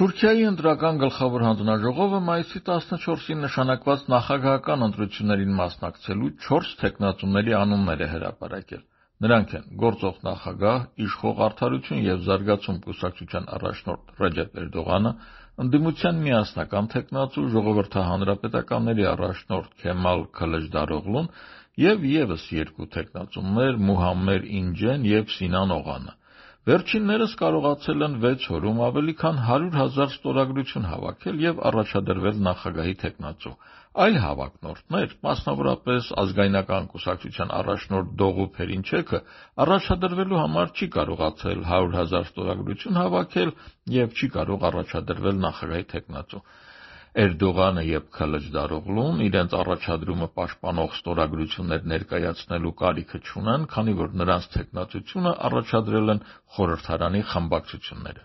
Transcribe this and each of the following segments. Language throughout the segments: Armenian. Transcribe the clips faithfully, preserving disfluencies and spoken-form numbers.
Թուրքիայի ընտրական գլխավոր հանձնաժողովը մայիսի տասնչորսին նշանակված նախագահական ընտրություններին մասնակցելու չորս թեկնածուների անուններ է հրապարակել։ Նրանք են գործող նախագահ, իշխող Արդարություն և զարգացում կուսակցության առաջնորդ Ռեջեփ Էրդողանը, ընդդիմության միասնական թեկնածու ժողովրդահանրապետականների առաջնորդ Քեմալ Քլջդարօղլուն և ևս երկու թեկնածուներ Մուհամմեր Ինջեն և Սինան Օղանը։ Վերջիններս կարողացել են վեց օրում ավելի քան հարյուր հազար ստորագրություն հավաքել և առաջադրվել նախագահի թեկնածու։ Այլ հավակնորդներ, մասնավորապես Ազգայնական կուսակցության առաջնորդ Դողու Փերինչեքը, առաջադրվելու համար չի կարողացել հարյուր հազար ստորագրություն հավաքել և չի կարող առաջադրվել նախագահի թեկնածու։ Էրդողանը և Քլջդարօղլուն իրենց առաջադրումը պաշտպանող ստորագրություններ ներկայացնելու կարիքը չունեն, քանի որ նրանց թեկնածությունը առաջադրել են խորհրդարանի խմբակցությունները։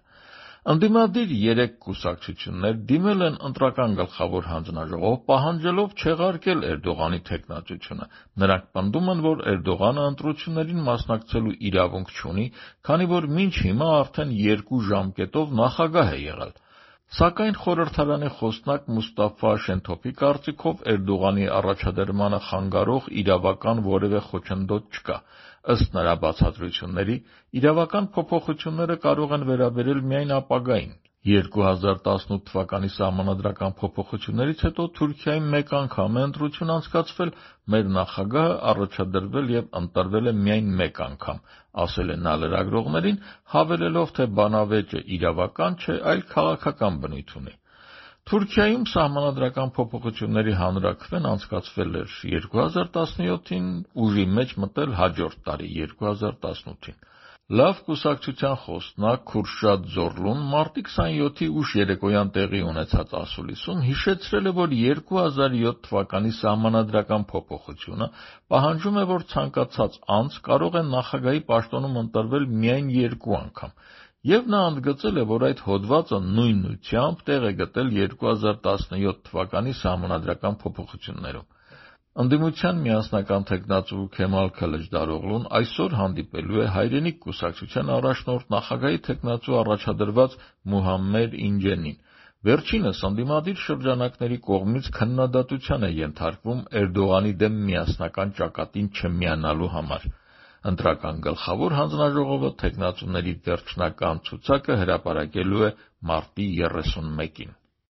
Ընդդիմադիր երեք կուսակցություններ դիմել են ընտրական գլխավոր հանձնաժողով, պահանջելով չեղարկել Էրդողանի թեկնածությունը։ Նրանք պնդում են, որ Էրդողանը ընտրություններին մասնակցելու իրավունք չունի, քանի որ մինչ հիմա արդեն երկու ժամկետով նախագահ է եղել։ Սակայն խորհրդարանի խոսնակ Մուստաֆա Շենթոփի կարծիքով Էրդողանի առաջադրմանը խանգարող իրավական որևէ խոչընդոտ չկա։ Ըստ նրա բացատրությունների, իրավական փոփոխությունները կարող են վերաբերել միայն ապագային։ երկու հազար տասնութ թվականի սահմանադրական փոփոխություններից հետո Թուրքիայում մեկ անգամ է ընտրություն անցկացվել, մեր նախագահը առաջադրվել և ընտրվել է միայն մեկ անգամ, ասել է նա լրագրողներին, հավելելով, թե բանավեճը իրավական չէ, այլ քաղաքական բնույթ ունի։ Թուրքիայում սահմանադրական փոփոխությունների հանրաքվեն անցկացվել էր երկու հազար տասնյոթին, ուժի մեջ մտել հաջորդ տարի՝ երկու հազար տասնութին։ Լավ կուսակցության խոսնակ Քուրշադ Զորլուն մարտի քսանյոթի ուշ երեկոյան տեղի ունեցած ասուլիսում հիշեցրել է, որ երկու հազար յոթ թվականի սահմանադրական փոփոխությունը պահանջում է, որ ցանկացած անձ կարող է նախագահի պաշտոնում ընտրվել միայն երկու անգամ, և նա ընդգծել է, որ այդ հոդվածը նույնությամբ տեղ է գտել երկու հազար տասնյոթ թվականի սահմանադրական փոփոխություններում։ Ընդդիմության միասնական թեկնածու Քեմալ Քլջդարօղլուն այսօր հանդիպելու է Հայրենիք կուսակցության առաջնորդ նախագահի թեկնածու առաջադրված Մուհամմեր Ինջենին։ Վերջինս ընդդիմադիր շրջանակների կողմից քննադատության է ենթարկվում Էրդողանի դեմ միասնական ճակատին չմիանալու համար։ Ընտրական գլխավոր հանձնաժողովը թեկնածուների վերջնական ցուցակը հրապարակելու է մարտի երեսունմեկին։